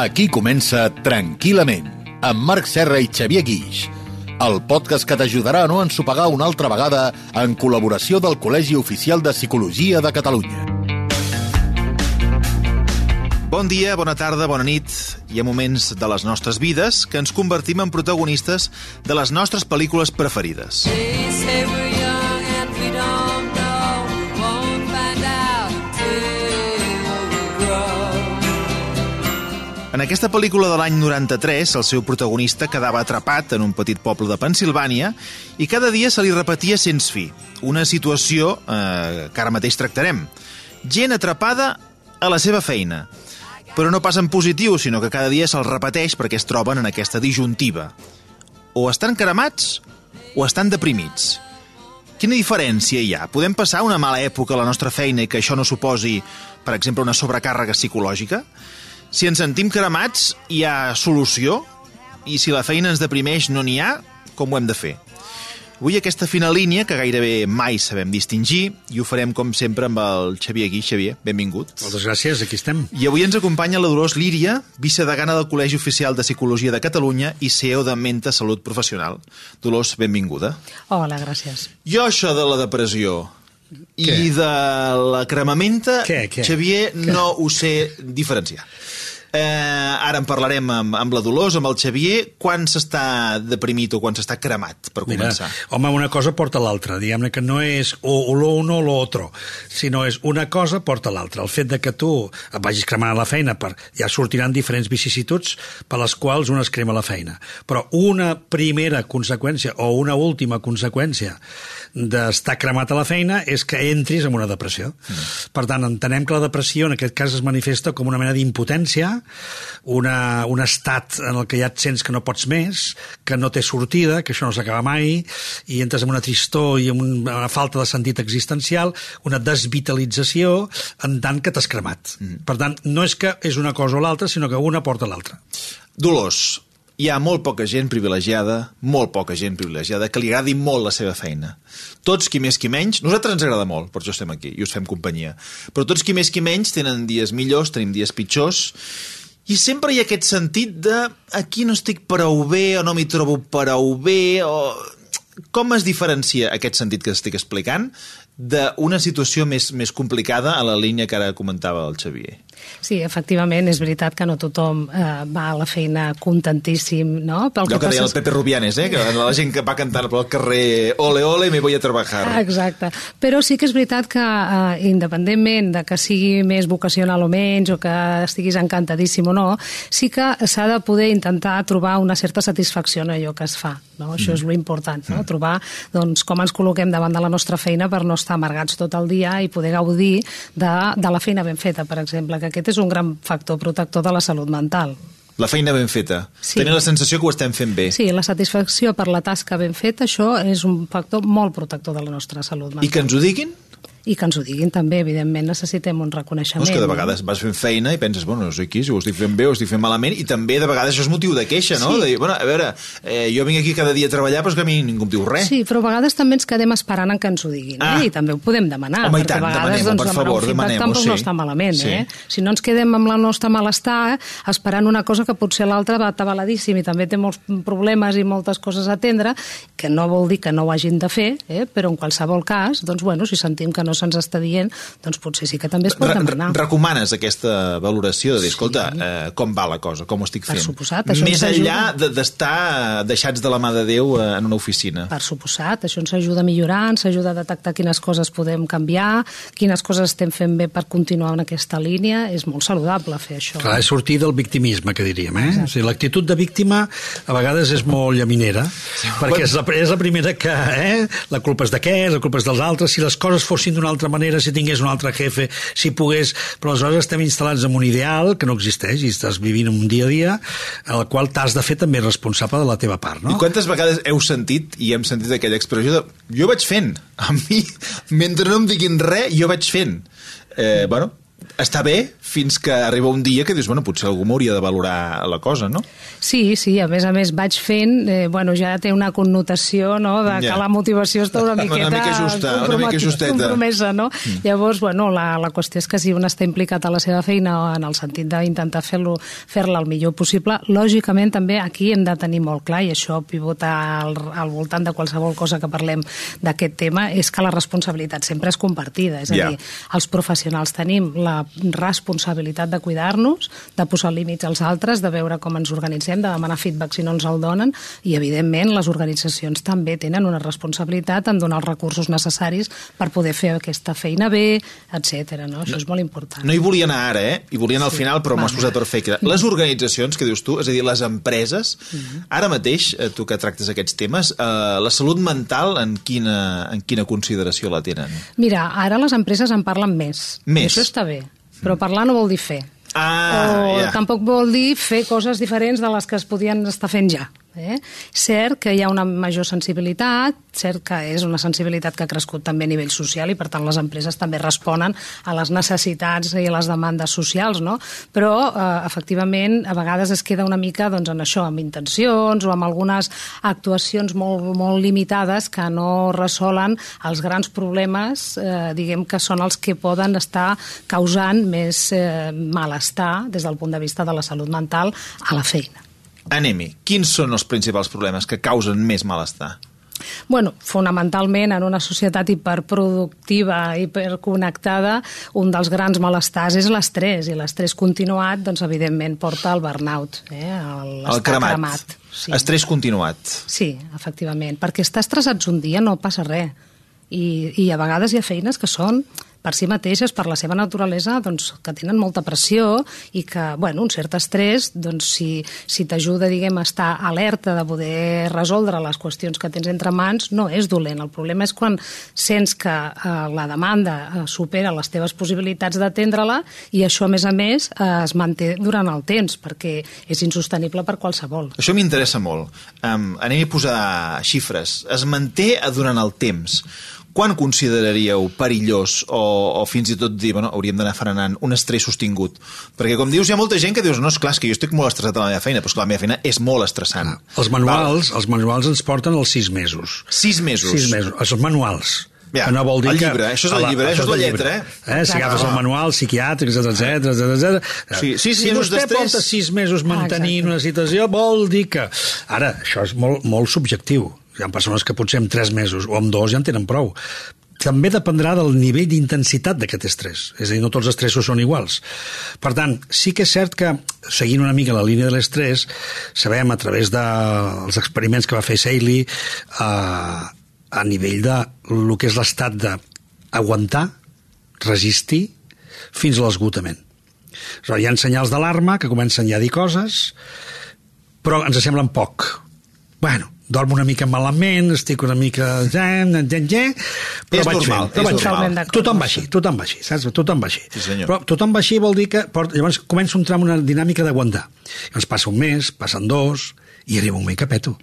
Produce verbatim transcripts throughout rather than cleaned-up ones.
Aquí comença Tranquil·lament, amb Marc Serra i Xavier Guix, el podcast que t'ajudarà a no ensopegar una altra vegada en col·laboració del Col·legi Oficial de Psicologia de Catalunya. Bon dia, bona tarda, bona nit. Hi ha moments de les nostres vides que ens convertim en protagonistes de les nostres pel·lícules preferides. En aquesta pel·lícula de l'any noranta-tres, el seu protagonista quedava atrapat en un petit poble de Pennsilvània i cada dia se li repetia sense fi. Una situació eh, que ara mateix tractarem. Gent atrapada a la seva feina. Però no pas en positiu, sinó que cada dia se'ls repeteix perquè es troben en aquesta disjuntiva. O estan cremats o estan deprimits. Quina diferència hi ha? Podem passar una mala època a la nostra feina i que això no suposi, per exemple, una sobrecàrrega psicològica? Si ens sentim cremats, hi ha solució? I si la feina ens deprimeix, no n'hi ha? Com ho hem de fer? Avui aquesta fina línia, que gairebé mai sabem distingir, i ho farem, com sempre, amb el Xavier Guix. Xavier, benvingut. Moltes gràcies, aquí estem. I avui ens acompanya la Dolors Líria, vicedegana del Col·legi Oficial de Psicologia de Catalunya i C E O de Menta Salut Professional. Dolors, benvinguda. Hola, gràcies. Jo això de la depressió i què? de la cremamenta, què, què? Xavier, què? No ho sé diferenciar. Eh, ara en parlarem amb, amb la Dolors, amb el Xavier. Quan s'està deprimit o quan s'està cremat, per començar? Mira, home, una cosa porta l'altra. Diguem-ne que no és o, o lo uno o lo otro, sinó és una cosa porta l'altra. El fet de que tu et vagis cremant a la feina, per, ja sortiran diferents vicissituds per les quals un es crema la feina. Però una primera conseqüència o una última conseqüència d'estar cremat a la feina és que entris en una depressió. Mm. Per tant, entenem que la depressió en aquest cas es manifesta com una mena d'impotència, una, un estat en el que ja et sents que no pots més, que no té sortida, que això no s'acaba mai, i entres en una tristor i en una falta de sentit existencial, una desvitalització en tant que t'has cremat. Mm. Per tant, no és que és una cosa o l'altra, sinó que una porta l'altra. Dolors, hi ha molt poca gent privilegiada, molt poca gent privilegiada, que li agradi molt la seva feina. Tots, qui més qui menys, nosaltres ens agrada molt, per això estem aquí i us fem companyia, però tots, qui més qui menys, tenen dies millors, tenim dies pitjors, i sempre hi ha aquest sentit de aquí no estic prou bé, o no m'hi trobo prou bé, o... Com es diferencia aquest sentit que estic explicant d'una situació més, més complicada a la línia que ara comentava el Xavier? Sí, efectivament, és veritat que no tothom eh, va a la feina contentíssim, no? Pel Allò que, que deia és... el Pepe Rubianes, eh? Que la gent que va cantar pel carrer ole, ole, me voy a trabajar. Exacte. Però sí que és veritat que, eh, independentment de que sigui més vocacional o menys, o que estiguis encantadíssim o no, sí que s'ha de poder intentar trobar una certa satisfacció en allò que es fa, no? Això és lo important, no? Trobar doncs, com ens col·loquem davant de la nostra feina per no estar amargats tot el dia i poder gaudir de, de la feina ben feta, per exemple, que aquest és un gran factor protector de la salut mental. La feina ben feta. Sí. Tenir la sensació que ho estem fent bé. Sí, la satisfacció per la tasca ben feta, això és un factor molt protector de la nostra salut mental. I que ens ho diguin? I que ens ho diguin també, evidentment necessitem un reconeixement. No, és que de vegades vas fent feina i penses, bueno, no sé qui, si ho estic fent bé o ho estic fent malament, i també de vegades això és motiu de queixa, no? Sí. De dir, bueno, a veure, eh, jo vinc aquí cada dia a treballar, però és que a mi ningú em diu res. Sí, però a vegades també ens quedem esperant en que ens ho diguin, ah. eh? I també ho podem demanar. Home, i tant, a vegades, demanem-ho, doncs, per favor, demanem-ho, tampoc sí. no està malament, sí. eh? Si no ens quedem amb el nostre malestar, esperant una cosa que potser l'altra va atabaladíssim i també té molts problemes i moltes coses a atendre, que no vol dir que no ho hagin de fer, eh? Però en qualsevol cas, doncs, bueno, si sentim que no se'ns està dient, doncs potser sí que també es pot demanar. Recomanes aquesta valoració de dir, escolta, sí. eh, com va la cosa, com ho estic fent? Per suposat, això més ens enllà ajuda. d'estar deixats de la mà de Déu en una oficina. Per suposat, això ens ajuda a millorar, ens ajuda a detectar quines coses podem canviar, quines coses estem fent bé per continuar en aquesta línia. És molt saludable fer això. Clar, és sortir del victimisme, que diríem, eh? O sigui, l'actitud de víctima a vegades és molt llaminera, sí, perquè és la, és la primera que, eh? La culpa és d'aquest, la culpa és dels altres, si les coses fossin d'una altra manera, si tingués un altre jefe, si pogués, però aleshores estem instal·lats en un ideal que no existeix i estàs vivint un dia a dia al qual t'has de fer també responsable de la teva part, no? I quantes vegades heu sentit i hem sentit aquella expressió de jo vaig fent, a mi mentre no em diguin res jo vaig fent, eh, bueno, està bé fins que arriba un dia que dius, bueno, potser algú m'hauria de valorar la cosa, no? Sí, sí, a més a més vaig fent, eh, bueno, ja té una connotació, no?, de que ja. la motivació està una miqueta una mica justa, una mica justeta. compromesa, no? Mm. Llavors, bueno, la, la qüestió és que si un està implicat a la seva feina en el sentit d'intentar fer-lo fer-la el millor possible, lògicament també aquí hem de tenir molt clar, i això pivota al, al voltant de qualsevol cosa que parlem d'aquest tema, és que la responsabilitat sempre és compartida, és a yeah. dir, els professionals tenim la responsabilitat de cuidar-nos, de posar límits als altres, de veure com ens organitzem, de demanar feedback si no ens el donen, i evidentment les organitzacions també tenen una responsabilitat en donar els recursos necessaris per poder fer aquesta feina bé, etcètera. No? Això no, és molt important. No hi volia anar ara, eh? Hi volia anar al sí. final, però m'has posat perfecte. Les organitzacions, que dius tu, és a dir, les empreses, uh-huh. ara mateix, tu que tractes aquests temes, eh, la salut mental en quina, en quina consideració la tenen? Mira, ara les empreses en parlen més. Més? I això està bé, però parlar no vol dir fer. Ah, o yeah. tampoc vol dir fer coses diferents de les que es podien estar fent ja. Eh? Cert que hi ha una major sensibilitat, cert que és una sensibilitat que ha crescut també a nivell social i per tant les empreses també responen a les necessitats i a les demandes socials, no? Però eh, efectivament a vegades es queda una mica doncs, en això, amb intencions o amb algunes actuacions molt, molt limitades que no resolen els grans problemes, eh, diguem que són els que poden estar causant més eh, malestar des del punt de vista de la salut mental a la feina. Anem-hi. Quins són els principals problemes que causen més malestar? Bueno, fonamentalment en una societat hiperproductiva, hiperconnectada, un dels grans malestars és l'estrès, i l'estrès continuat, doncs, evidentment, porta al burnout, eh? El cremat. cremat. Sí. Estrès continuat. Sí, efectivament, perquè estar estressats un dia no passa res, i, i a vegades hi ha feines que són per si mateixes, per la seva naturalesa, doncs, que tenen molta pressió i que, bueno, un cert estrès, doncs, si, si t'ajuda, diguem, a estar alerta de poder resoldre les qüestions que tens entre mans, no és dolent. El problema és quan sents que eh, la demanda eh, supera les teves possibilitats d'atendre-la i això, a més a més, eh, es manté durant el temps, perquè és insostenible per qualsevol. Això m'interessa molt. Um, anem a posar xifres. Es manté durant el temps. Quan consideraríeu perillós o, o fins i tot dir, bueno, hauríem d'anar frenant un estrès sostingut? Perquè, com dius, hi ha molta gent que dius, no, és clar, és que jo estic molt estressat a la meva feina, però és que la meva feina és molt estressant. Els manuals, els manuals ens porten els sis mesos. Sis mesos? Sis mesos. Els manuals. Ja, que no vol dir el llibre, que... això és el llibre, això és la lletra, eh? eh? Si agafes el manual psiquiàtric, etcètera, etcètera. Sí, sis si vostè porta sis mesos mantenint ah, una situació, vol dir que... Ara, això és molt, molt subjectiu. Hi ha persones que potser en tres mesos o en dos ja en tenen prou. També dependrà del nivell d'intensitat d'aquest estrès. És a dir, no tots els estressos són iguals. Per tant, sí que és cert que, seguint una mica la línia de l'estrès, sabem a través dels experiments que va fer Seiley eh, a nivell de el que és l'estat d'aguantar, resistir, fins a l'esgotament. Hi ha senyals d'alarma que comencen ja a dir coses, però ens semblen poc. Bueno, dormo una mica malament, estic una mica... Però és vaig normal, fent, però és vaig normal. fent. Tothom va així, tothom va així, saps? Tothom va així. Sí, senyor. Però tothom va així vol dir que... Llavors comença a entrar en una dinàmica d'aguantar. Llavors passa un mes, passen dos, i arriba un moment que peto.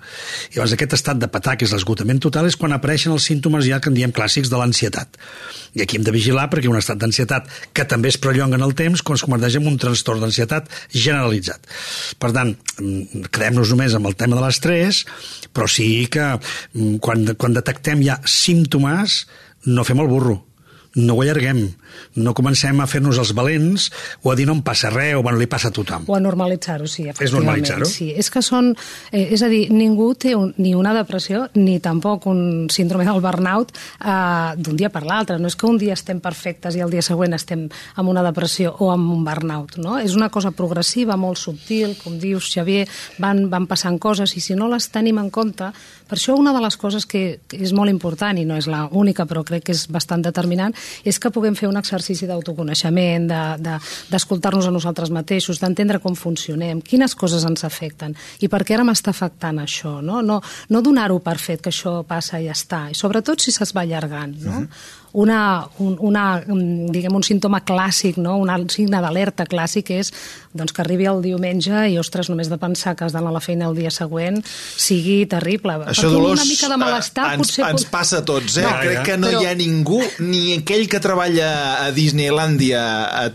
I llavors aquest estat de petar, que és l'esgotament total, és quan apareixen els símptomes ja que en diem clàssics de l'ansietat. I aquí hem de vigilar perquè un estat d'ansietat que també es prolonga en el temps quan es converteix en un trastorn d'ansietat generalitzat. Per tant, quedem-nos només amb el tema de l'estrès, però sí que quan, quan detectem ja símptomes no fem el burro, no ho allarguem, no comencem a fer-nos els valents o a dir no em passa res o bueno, li passa a tothom. O a normalitzar-ho, sí, efectivament. És normalitzar-ho? Sí, és que són... Eh, és a dir, ningú té un, ni una depressió ni tampoc un síndrome del burnout eh, d'un dia per l'altre. No és que un dia estem perfectes i el dia següent estem amb una depressió o amb un burnout, no? És una cosa progressiva, molt subtil, com dius, Xavier, van, van passant coses i si no les tenim en compte... Per això una de les coses que és molt important, i no és l'única, però crec que és bastant determinant, és que puguem fer un exercici d'autoconeixement, d'escoltar-nos de, de, a nosaltres mateixos, d'entendre com funcionem, quines coses ens afecten i per què ara m'està afectant això, no, no, no donar-ho per fet que això passa i ja està, i sobretot si se's va allargant, no? Uh-huh. una, un, una, diguem, un símptoma clàssic, no? Un signe d'alerta clàssic és doncs, que arribi el diumenge i, ostres, només de pensar que has d'anar a la feina el dia següent sigui terrible. Això, Dolors, una mica de malestar, ens, potser... ens passa a tots, eh? No, Crec que no però... hi ha ningú, ni aquell que treballa a Disneylàndia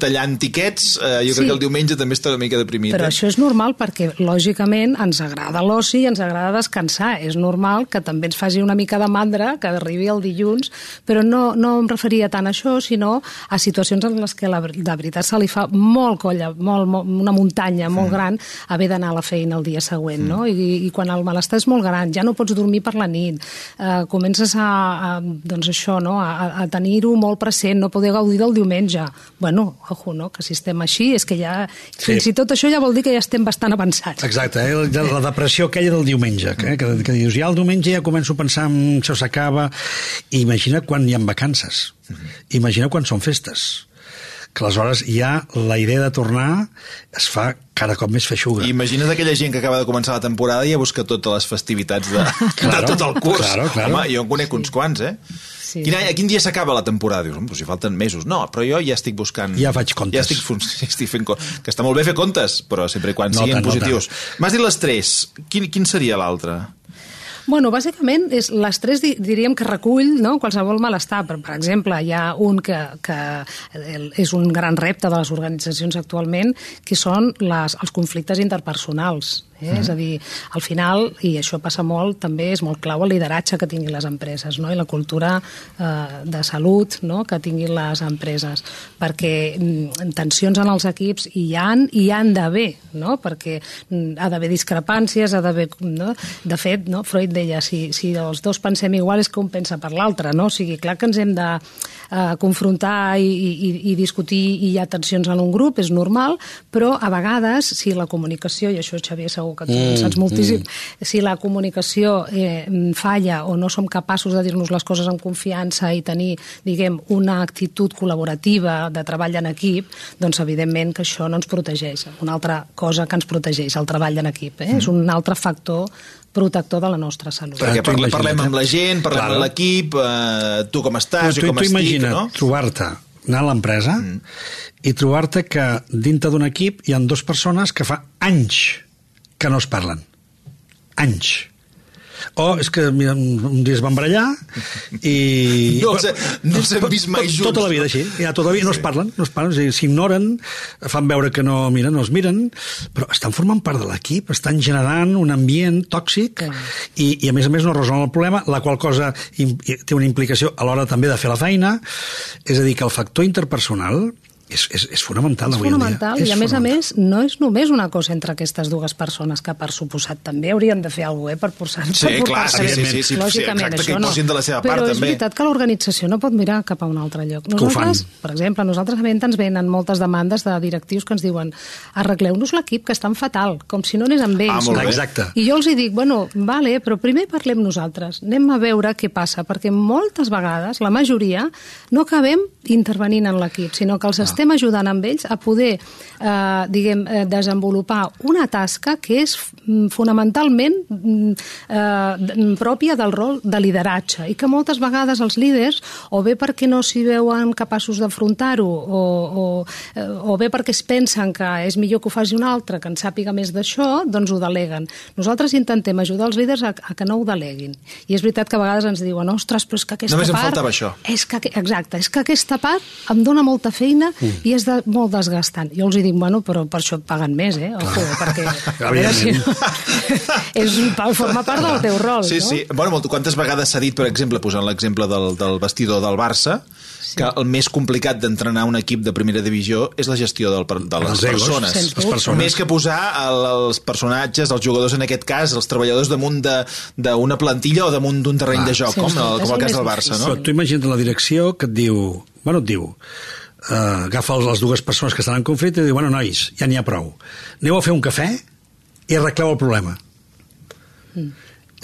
tallant tiquets, eh, jo sí. crec que el diumenge també està una mica deprimit. Però eh? això és normal perquè, lògicament, ens agrada l'oci i ens agrada descansar. És normal que també ens faci una mica de mandra que arribi el dilluns, però no, no em referia tant a això, sinó a situacions en les que la, de veritat se li fa molt colla, molt, molt, una muntanya molt mm. gran haver d'anar a la feina el dia següent, mm. no? I, i quan el malestar és molt gran, ja no pots dormir per la nit, eh, comences a, a, doncs això, no? a, a tenir-ho molt present, no poder gaudir del diumenge. Bueno, ojo, no? Que si estem així, és que ja, sí. fins i tot això ja vol dir que ja estem bastant avançats. Exacte, eh? la, la depressió aquella del diumenge, que, que, que dius, ja el diumenge ja començo a pensar en això s'acaba, i imagina quan hi ha vacances, mm-hmm. imagina quan són festes, que aleshores ja la idea de tornar es fa cada cop més feixuga. Imagina't aquella gent que acaba de començar la temporada i ja busca totes les festivitats de, claro, de tot el curs. Claro, claro. Home, jo en conec uns quants, eh? Sí. Quin, a quin dia s'acaba la temporada? Dius, doncs si falten mesos. No, però jo ja estic buscant... Ja faig comptes. Ja estic, estic fent comptes. Que està molt bé fer comptes, però sempre i quan no siguin tant, positius. No M'has dit les tres. Quin, quin seria l'altre? Bueno, bàsicament, és, les tres diríem que recull, no?, qualsevol malestar. Per, per exemple, hi ha un que, que és un gran repte de les organitzacions actualment, que són les, els conflictes interpersonals. Eh? Mm. És a dir, al final, i això passa molt, també és molt clau el lideratge que tinguin les empreses, no?, i la cultura eh, de salut, no?, que tinguin les empreses. Perquè mm, tensions en els equips hi han i hi han d'haver, no?, perquè mm, ha d'haver discrepàncies, ha d'haver... No? De fet, no?, Freud deia, si, si els dos pensem igual és que un pensa per l'altre, no? O sigui, clar que ens hem de eh, confrontar i, i, i discutir i hi ha tensions en un grup, és normal, però a vegades, si la comunicació, i això Xavier segur que tu mm, en saps moltíssim, mm. si la comunicació eh, falla o no som capaços de dir-nos les coses amb confiança i tenir, diguem, una actitud col·laborativa de treball en equip, doncs evidentment que això no ens protegeix. Una altra cosa que ens protegeix, el treball en equip, eh? Mm. És un altre factor protector de la nostra salut. Perquè parlem, parlem amb la gent, parlem claro. amb l'equip, eh, tu com estàs, tu, jo com tu estic, imagina, no? trobar-te, anar a l'empresa mm. i trobar-te que dintre d'un equip hi ha dues persones que fa anys que no es parlen. Anys. O és que mira, un dia es van barallar i... No s'han no vist mai junts. Tota la vida així. Ja, tota la vida no es parlen, no es parlen, s'ignoren, fan veure que no, mira, no es miren, però estan formant part de l'equip, estan generant un ambient tòxic i, i a més a més no resolen el problema, la qual cosa té una implicació a l'hora també de fer la feina. És a dir, que el factor interpersonal És, és, és fonamental avui en dia. És fonamental, i a més a més no és només una cosa entre aquestes dues persones que per suposat també haurien de fer alguna cosa eh, per portar-se. Sí, per clar, sí, sí, sí, sí, lògicament, exacte, això que hi posin de la seva no. part Però també. és veritat que l'organització no pot mirar cap a un altre lloc. Nosaltres, per exemple, nosaltres a Venta ens venen moltes demandes de directius que ens diuen arregleu-nos l'equip, que estan fatal, com si no anés amb ells. Ah, molt bé. Exacte. I jo els hi dic, bueno, vale, però primer parlem nosaltres, anem a veure què passa, perquè moltes vegades, la majoria, no acabem intervenint en l'equip, sinó que els ah. estem ajudant amb ells a poder eh, diguem, eh, desenvolupar una tasca que és fonamentalment eh, pròpia del rol de lideratge i que moltes vegades els líders, o bé perquè no s'hi veuen capaços d'afrontar-ho o, o, o bé perquè es pensen que és millor que ho faci un altre, que en sàpiga més d'això, doncs ho deleguen. Nosaltres intentem ajudar els líders a, a que no ho deleguin. I és veritat que a vegades ens diuen, ostres, però és que aquesta Només part... Només em faltava això. És que, exacte, és que aquesta part em dona molta feina mm. i és de, molt desgastant. Jo els hi dic, bueno, però per això et paguen més, eh? Ojo, perquè... A veure si... és, forma part del teu rol, sí, no? Sí, sí. Bueno, quantes vegades s'ha dit, per exemple, posant l'exemple del, del vestidor del Barça, sí. que el més complicat d'entrenar un equip de primera divisió és la gestió del, de les els persones. Egos, les persones. Més que posar el, els personatges, els jugadors en aquest cas, els treballadors damunt d'una plantilla o damunt d'un terreny ah, de joc, sí, com, el, com el cas del Barça, no? Però tu imagina't la direcció que et diu... Bueno, et diu... Uh, agafa les dues persones que estan en conflicte i diu, bueno, nois, ja n'hi ha prou. Aneu a fer un cafè i arregleu el problema. Mm.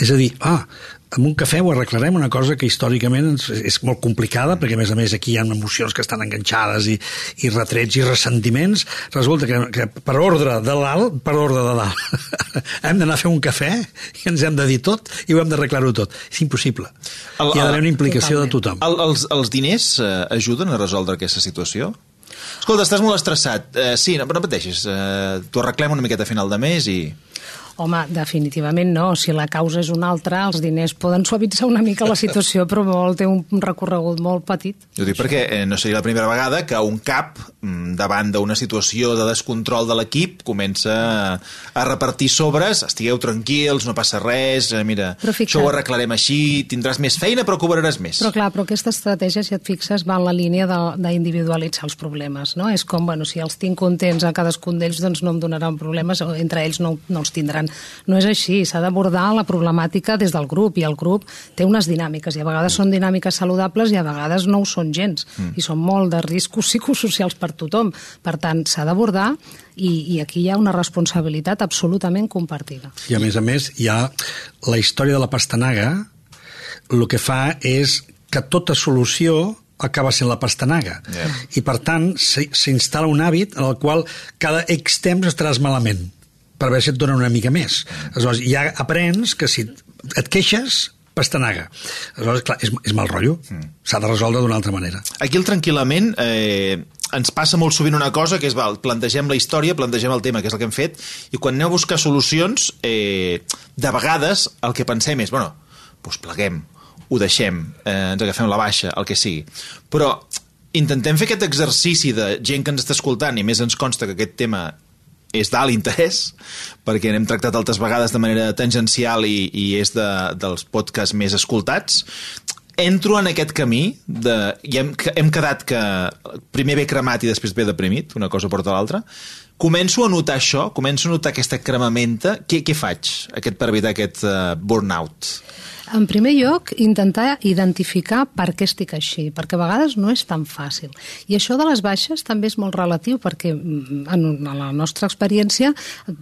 És a dir, ah, amb un cafè ho arreglarem, una cosa que històricament és molt complicada, perquè a més a més aquí hi ha emocions que estan enganxades i, i retrets i ressentiments. Resulta que, que per ordre de dalt, per ordre de dalt, hem d'anar a fer un cafè i ens hem de dir tot i ho hem d'arreglar-ho tot. És impossible. El, Hi ha d'haver una implicació totalment. De tothom. El, els, els diners eh, ajuden a resoldre aquesta situació? Escolta, estàs molt estressat. Eh, sí, no, no pateixis. Eh, T'ho arreglem una miqueta a final de mes i... Home, definitivament no. Si la causa és una altra, els diners poden suavitzar una mica la situació, però molt, té un recorregut molt petit. Jo dic perquè eh, no seria la primera vegada que un cap, davant d'una situació de descontrol de l'equip, comença a repartir sobres, estigueu tranquils, no passa res, eh, mira, això ho arreglarem així, tindràs més feina però cobraràs més. Però clar, però aquesta estratègia, si et fixes, va en la línia d'individualitzar els problemes, no? És com, bueno, si els tinc contents a cadascun d'ells, doncs no em donaran problemes, o entre ells no, no els tindran. No és així, s'ha d'abordar la problemàtica des del grup, i el grup té unes dinàmiques, i a vegades són dinàmiques saludables i a vegades no ho són gens, mm. i són molt de riscos psicosocials per tothom. Per tant, s'ha d'abordar i, i aquí hi ha una responsabilitat absolutament compartida. I a més a més hi ha la història de la pastanaga, el que fa és que tota solució acaba sent la pastanaga. Yeah. I per tant s'instal·la un hàbit en el qual cada X temps estaràs malament, per veure si et donen una mica més. Aleshores, ja aprens que si et queixes, pastanaga. Aleshores, clar, és, és mal rotllo. Mm. S'ha de resoldre d'una altra manera. Aquí el tranquil·lament eh, ens passa molt sovint una cosa, que és, val, plantegem la història, plantegem el tema, que és el que hem fet, i quan aneu a buscar solucions, eh, de vegades el que pensem és, bueno, doncs pleguem, ho deixem, eh, ens agafem la baixa, el que sigui. Però intentem fer aquest exercici de gent que ens està escoltant, i més ens consta que aquest tema és d'alt interès, perquè n'hem tractat altres vegades de manera tangencial i, i és de, dels podcasts més escoltats. Entro en aquest camí de, i hem, hem quedat que primer ve cremat i després ve deprimit, una cosa porta l'altra. Començo a notar això, començo a notar aquesta cremamenta. Què, què faig aquest, per evitar aquest uh, burnout? En primer lloc, intentar identificar per què estic així, perquè a vegades no és tan fàcil. I això de les baixes també és molt relatiu, perquè en la nostra experiència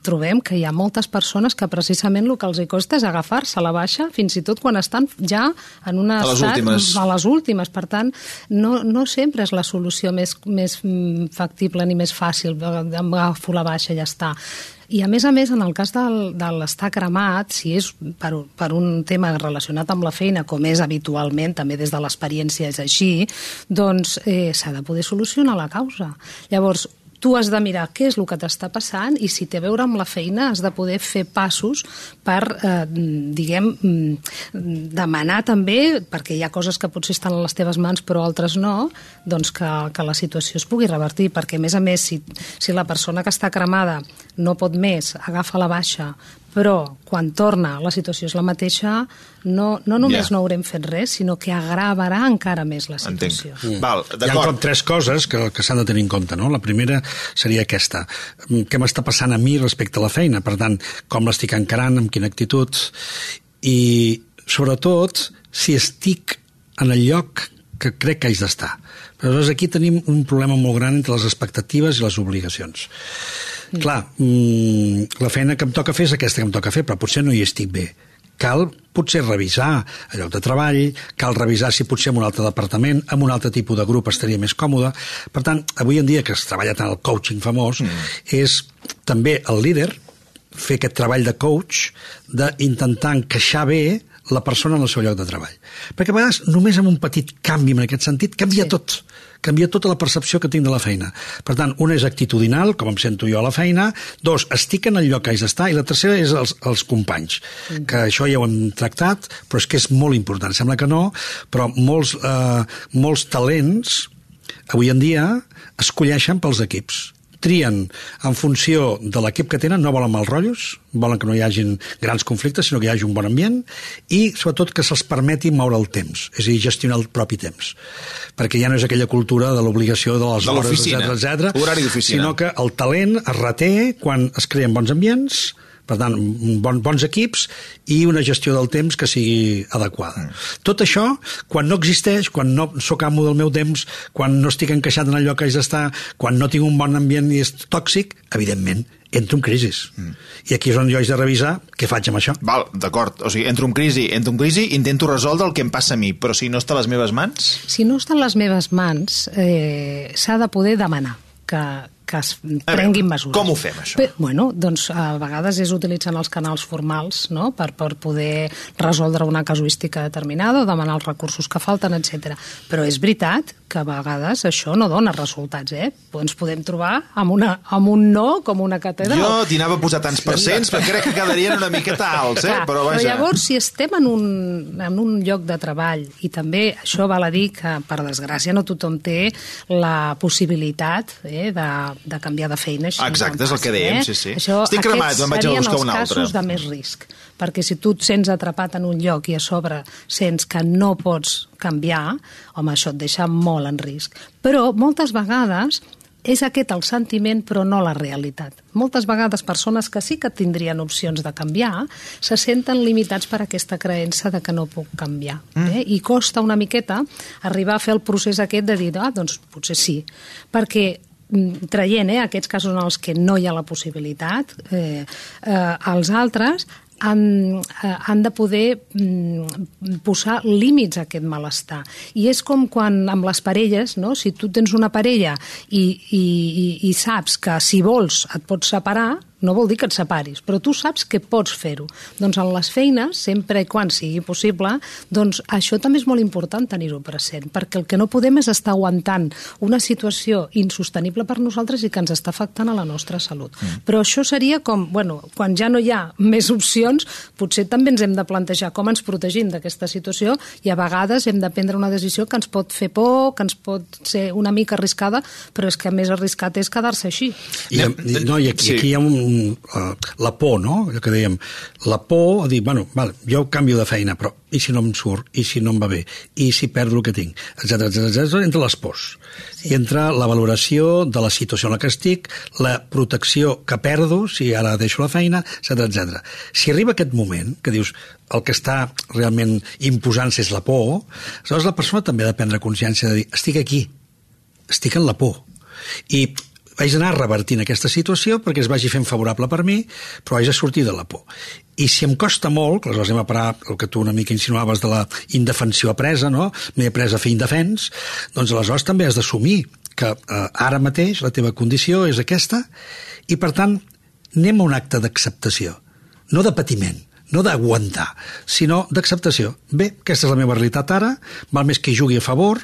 trobem que hi ha moltes persones que precisament el que els hi costa és agafar-se a la baixa, fins i tot quan estan ja en un estat... A les últimes. A les últimes. Per tant, no, no sempre és la solució més, més factible ni més fàcil, agafo la baixa i ja està. I a més a més, en el cas del, de l'estar cremat, si és per, per un tema relacionat amb la feina, com és habitualment, també des de l'experiència és així, doncs eh, s'ha de poder solucionar la causa. Llavors, tu has de mirar què és el que t'està passant i si té a veure amb la feina has de poder fer passos per, eh, diguem, demanar també, perquè hi ha coses que potser estan a les teves mans però altres no, doncs que, que la situació es pugui revertir, perquè a més a més si, si la persona que està cremada no pot més, agafa la baixa, però quan torna la situació és la mateixa, no, no només yeah. no haurem fet res, sinó que agravarà encara més la situació. Mm. Val, hi ha com tres coses que, que s'han de tenir en compte, no? La primera seria aquesta. Què m'està passant a mi respecte a la feina? Per tant, com l'estic encarant, amb quina actitud? I, sobretot, si estic en el lloc que crec que haig d'estar. Però llavors aquí tenim un problema molt gran entre les expectatives i les obligacions. Mm. Clar, mm, la feina que em toca fer és aquesta que em toca fer, però potser no hi estic bé. Cal potser revisar el lloc de treball, cal revisar si potser en un altre departament, en un altre tipus de grup estaria més còmode. Per tant, avui en dia que es treballa tant el coaching famós, mm. és també el líder fer aquest treball de coach, d'intentar encaixar bé la persona en el seu lloc de treball. Perquè a vegades només amb un petit canvi en aquest sentit canvia sí. tot. Canvia tota la percepció que tinc de la feina. Per tant, una és actitudinal, com em sento jo a la feina, dos, estic en el lloc que haig d'estar, i la tercera és els, els companys, mm. que això ja ho hem tractat, però és que és molt important. Sembla que no, però molts, eh, molts talents avui en dia es colleixen pels equips. Trien en funció de l'equip que tenen, no volen mal rotllos, volen que no hi hagin grans conflictes, sinó que hi hagi un bon ambient, i sobretot que se'ls permeti moure el temps, és a dir, gestionar el propi temps. Perquè ja no és aquella cultura de l'obligació de les de hores, etcètera, etcètera, horari d'oficina, sinó que el talent es reté quan es creen bons ambients, Per tant, bon, bons equips i una gestió del temps que sigui adequada. Mm. Tot això, quan no existeix, quan no sóc amo del meu temps, quan no estic encaixat en allò que haig d'estar, quan no tinc un bon ambient i és tòxic, evidentment, entro en crisi. Mm. I aquí és on jo haig de revisar què faig amb això. Val, d'acord. O sigui, entro en crisi, entro en crisi, intento resoldre el que em passa a mi, però si no està a les meves mans... Si no està a les meves mans, eh, s'ha de poder demanar que, que es prenguin mesures. Com ho fem, això? Bé, bueno, doncs a vegades és utilitzant els canals formals, no?, per, per poder resoldre una casuística determinada o demanar els recursos que falten, etcètera. Però és veritat que a vegades això no dona resultats, eh? Ens podem trobar amb, una, amb un no com una catedral. Jo t'hi anava a posar tants percents, però crec que quedarien una miqueta alts, eh? Clar, però, vaja. però llavors, si estem en un, en un lloc de treball, i també això val a dir que, per desgràcia, no tothom té la possibilitat eh, de, de canviar de feina. Així exacte, és el que dèiem, eh? sí, sí. Això, Estic cremat, me'n vaig a buscar un altre. Aquests serien els casos de més risc, perquè si tu et sents atrapat en un lloc i a sobre sents que no pots canviar, home, això et deixa molt en risc. Però moltes vegades és aquest el sentiment, però no la realitat. Moltes vegades persones que sí que tindrien opcions de canviar se senten limitats per aquesta creença de que no puc canviar. Mm. Eh? I costa una miqueta arribar a fer el procés aquest de dir, ah, doncs potser sí, perquè traient eh, aquests casos en els que no hi ha la possibilitat, eh, eh, els altres han, han de poder mm, posar límits a aquest malestar. I és com quan amb les parelles, no? Si tu tens una parella i, i, i, i saps que si vols et pots separar, no vol dir que et separis, però tu saps que pots fer-ho. Doncs en les feines, sempre i quan sigui possible, doncs això també és molt important tenir-ho present, perquè el que no podem és estar aguantant una situació insostenible per nosaltres i que ens està afectant a la nostra salut. Mm. Però això seria com, bueno, quan ja no hi ha més opcions, potser també ens hem de plantejar com ens protegim d'aquesta situació i a vegades hem de prendre una decisió que ens pot fer por, que ens pot ser una mica arriscada, però és que més arriscat és quedar-se així. I, i, no, i aquí, sí. aquí hi ha un Uh, la por, no? Allò que dèiem, la por a dir, bueno, val, jo canvio de feina, però i si no em surt, i si no em va bé, i si perdo el que tinc, etcètera, etcètera, etcètera, entre les pors. Sí. I entra la valoració de la situació en la que estic, la protecció que perdo, si ara deixo la feina, etcètera, etcètera. Si arriba aquest moment, que dius, el que està realment imposant-se és la por, aleshores la persona també ha de prendre consciència de dir, estic aquí, estic en la por. I vaig anar revertint aquesta situació perquè es vagi fent favorable per mi, però haig de sortir de la por. I si em costa molt, que aleshores anem a parar el que tu una mica insinuaves de la indefensió apresa, no? M'he après a fer indefens, doncs aleshores també has d'assumir que eh, ara mateix la teva condició és aquesta i, per tant, anem a un acte d'acceptació, no de patiment, no d'aguantar, sinó d'acceptació. Bé, aquesta és la meva realitat ara, val més que hi jugui a favor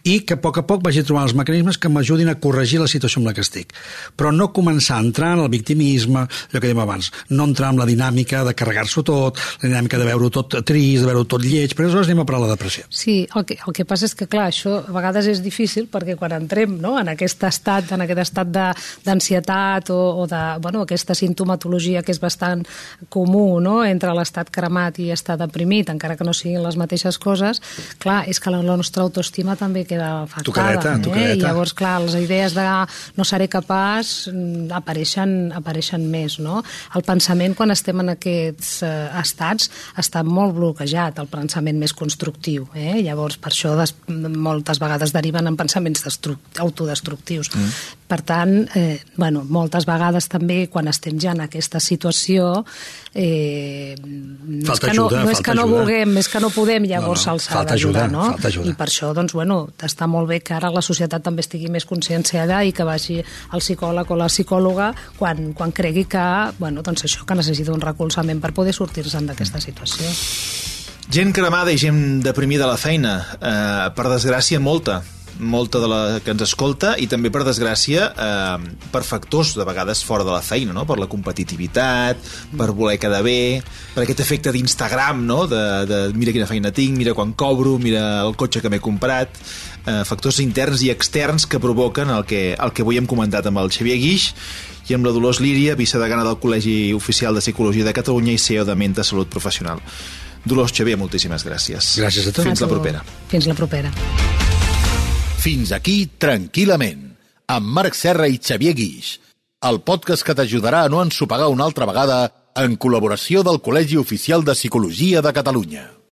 i que a poc a poc vagi trobant els mecanismes que m'ajudin a corregir la situació en la que estic. Però no començar a entrar en el victimisme, allò que dèiem abans, no entrar en la dinàmica de carregar-s'ho tot, la dinàmica de veure-ho tot trist, de veure-ho tot lleig, però aleshores anem a parar la depressió. Sí, el que, el que passa és que, clar, això a vegades és difícil perquè quan entrem no, en aquest estat, en aquest estat d'ansietat o, o de, bueno, aquesta sintomatologia que és bastant comú, no?, entre l'estat cremat i estar deprimit, encara que no siguin les mateixes coses, clar, és que la nostra autoestima també queda afectada. Tucadeta, eh? tucadeta. I llavors, clar, les idees de no seré capaç apareixen, apareixen més, no? El pensament, quan estem en aquests eh, estats, està molt bloquejat, el pensament més constructiu, eh? Llavors, per això des, moltes vegades deriven en pensaments autodestructius. Mm. Per tant, eh, bueno, moltes vegades també, quan estem ja en aquesta situació, eh, no falta és que no, ajuda, no és que no ajuda. vulguem, és que no podem, llavors no, no, s'ha d'ajudar, no? Falta ajuda. I per això, doncs, bueno, està molt bé que ara la societat també estigui més conscienciada i que vagi al psicòleg o la psicòloga quan, quan cregui que, bueno, doncs això, que necessita un recolzament per poder sortir-se'n d'aquesta situació. Gent cremada i gent deprimida a la feina, eh, per desgràcia molta. molta de la que ens escolta i també, per desgràcia, eh, per factors de vegades fora de la feina, no? Per la competitivitat, per voler quedar bé, per aquest efecte d'Instagram, no? de, de mira quina feina tinc, mira quan cobro, mira el cotxe que m'he comprat, eh, factors interns i externs que provoquen el que, el que avui hem comentat amb el Xavier Guix i amb la Dolors Líria, vicedegana del Col·legi Oficial de Psicologia de Catalunya i C E O de Menta Salut Professional. Dolors, Xavier, moltíssimes gràcies. Gràcies a tu. Fins la propera. Fins la propera. Fins aquí Tranquil·lament, amb Marc Serra i Xavier Guix, el podcast que t'ajudarà a no ensopegar una altra vegada en col·laboració del Col·legi Oficial de Psicologia de Catalunya.